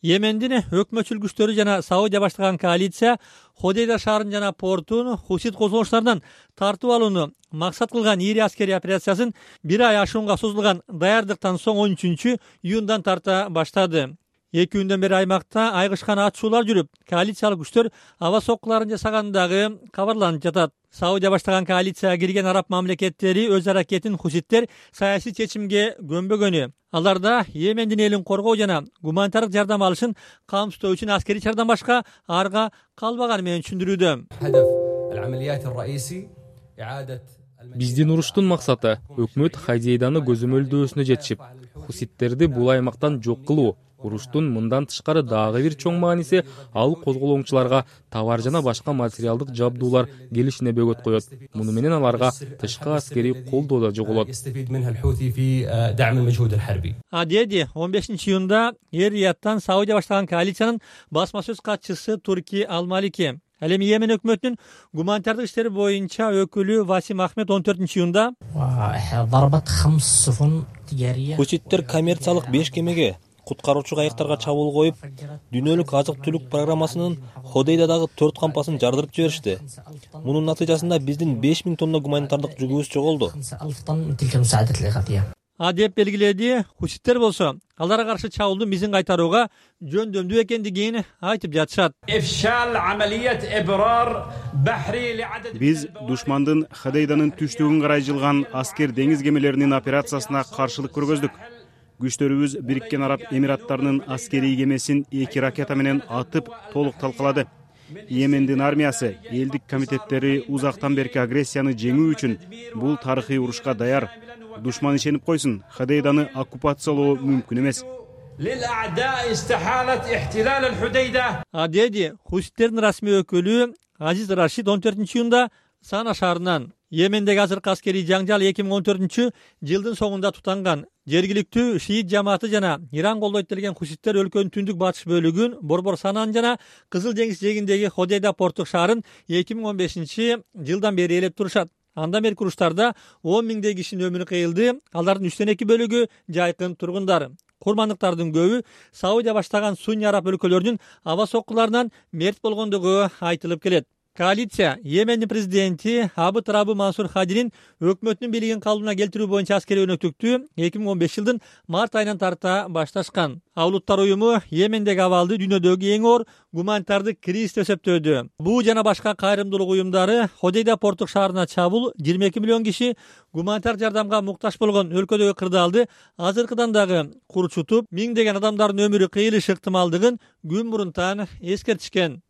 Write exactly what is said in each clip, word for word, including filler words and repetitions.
Йемендин өкмөтчүл күчтөрү жана Саудия баштаган коалиция Ходейда шаарын жана портун хусит козголуштарынан тартып алууну максат кылган ири аскерий операциясын бир ай ашуунга созулган даярдыктан соң он үчүнчү июндан тарта баштады. Эки күндөн бери аймакта айгышкан атышуулар жүрүп, коалициялык күчтөр аба соккуларын жасагандагы кабарланып жатат. Саудия баштаган коалицияга кирген араб мамлекеттери өз аракетин хуситтер саясий чечимге көмбөгөнү, аларда Йемендин элин коргоо жана гуманитардык жардам алышын камсыздоо үчүн аскерий чардан башка арга калбаганы менен түшүндүрүүдө. Биздин уруштун максаты өкмөт Ходейданы көзөмөлдөөсүнө жетишип, хуситтерди бул аймактан жок кылуу. Уруштун мындан тышкары дагы бир чоң мааниси ал козголоңчуларга товар жана башка материалдык жабдуулар келишине бөгөт коет. Муну менен аларга тышкы аскерий колдоо да жоголот. Адеди он бешинчи июнда Эр-Рияттан Саудия баштаган коалициянын басма сөз катчысы Турки Ал-Малики. Ал эми Йемен өкмөтүнүн гуманитардык иштер боюнча өкүлү Васим Ахмед он төртүнчү июнда хуситтер коммерциялык беш кемеге куткаруучу кайыктарга чабуул коюп, дүйнөлүк азык-түлүк программасынын Ходейдадагы төрт кампасын жардырып жиберишти. Мунун натыйжасында биздин беш миң тонна гуманитардык жүгүбүз жоголду. А деп белгиледи. Хуситтер болсо аларга каршы чабуулдун мизин кайтарууга жөндөмдүү экендигин айтып жатышат. Биз душмандын Ходейданын түштүгүн карай жылган аскер деңиз кемелеринин операциясына каршылык көргөздүк. Күчтөрүбүз Бириккен Араб Эмираттарынын аскерий кемесин эки ракета менен атып толук талкалады. Йемендин армиясы, элдик комитеттери узактан берки агрессияны жеңүү үчүн бул тарыхый урушка даяр. Душман ишенип койсун, Ходейданы оккупациялоо мүмкүн эмес. Адеди хуситтердин расмий өкүлү Азиз Рашид он төртүнчү июнда Сана шаарынан. Йемендеги азыркы аскерий жаңжал эки миң он төртүнчү жылдын соңунда тутанган. Жергиликтүү шиит жамааты жана Иран колдойт делген хуситтер өлкөнүн түндүк батыш бөлүгүн, Борбор Санан жана Кызыл деңиз жээгиндеги Ходейда порттук шаарын эки миң он бешинчи жылдан бери ээлеп турушат. Андан берки уруштарда он миңдей кишинин өмүрү кыйылды. Алардын үчтөн эки бөлүгү жайкын тургундар. Курмандыктардын көбү Саудия баштаган Сунни араб өлкөлөрүнүн аба соккуларынан мерт болгондугу айтылып келет. Коалиция Йемендин президенти Абд Раббы Мансур Хадинин өкмөтүнүн бийлигин калыбына келтирүү боюнча аскерий өнөктүктү эки миң он беш жылдын март айынан тарта башташкан. Улуттар уюму Йемендеги абалды дүйнөдөгү эң оор гуманитардык кризис деп эсептөөдө. Буу жана башка кайрымдуулук уюмдары Ходейда порттук шаарына чабуул жыйырма эки миллион киши гуманитар жардамга муктаж болгон өлкөдөгү кырдаалды азыркыдан дагы курчутуп, миңдеген адамдардын өмүрү кыйылышы ыктымалдыгын күн мурунтан эскертишкен.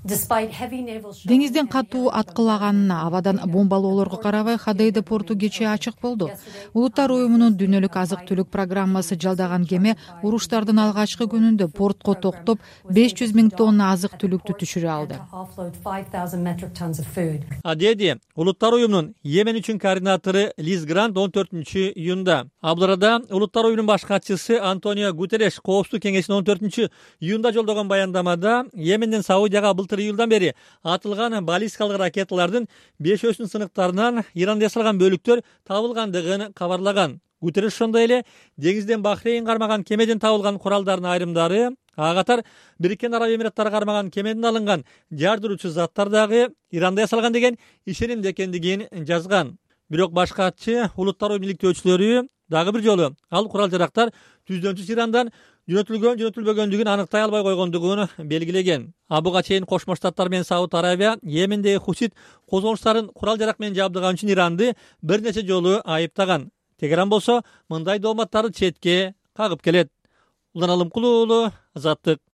Деңизден катуу аткылаганына, абадан бомбалоолорго карабай Ходейда порту кечээ ачык болду. Улуттар уюмунун дүйнөлүк азык-түлүк программасы жалдаган кеме уруштардын алгачкы күнүндө портко токтоп беш жүз миң тонна азык-түлүктү түшүрө алды. Адеди Улуттар уюмунун Йемен үчүн координатору Лиз Грант он төртүнчү июнда. Абдырада Улуттар уюмунун баш катчысы Антонио Гутерреш Коопсуздук кеңешине он төртүнчү июнда жолдогон баяндамада Йеменден Саудияга былтыр июлдан бери атылган баллистикалык ракеталардын бешөөсүнүн сыныктарынан Иранда жасалган бөлүктөр табылгандыгын кабарлаган. Гутерреш ошондой эле деңизден Бахрейн кармаган кемеден табылган куралдардын айрымдары, ага катар Бириккен Араб Эмираттары кармаган кемеден алынган жардыруучу заттар дагы Иранда жасалган деген ишенимде экендигин жазган. Бирок баш катчы Улуттар уюмунун иликтөөчүлөрү дагы бир жолу ал курал жарактар түздөнчү Ирандан жөнөтүлгөн жөнөтүлбөгөндүгүн аныктай албай койгондугун белгилеген. Буга чейин Кошмо Штаттар менен Сауд Арабия Йемендеги хусит козголуштарын курал жарак менен жабдыган үчүн Иранды бир нече жолу айыптаган. Тегеран болсо мындай дооматтарды четке кагып келет. Улан Алымкулуу, Азаттык.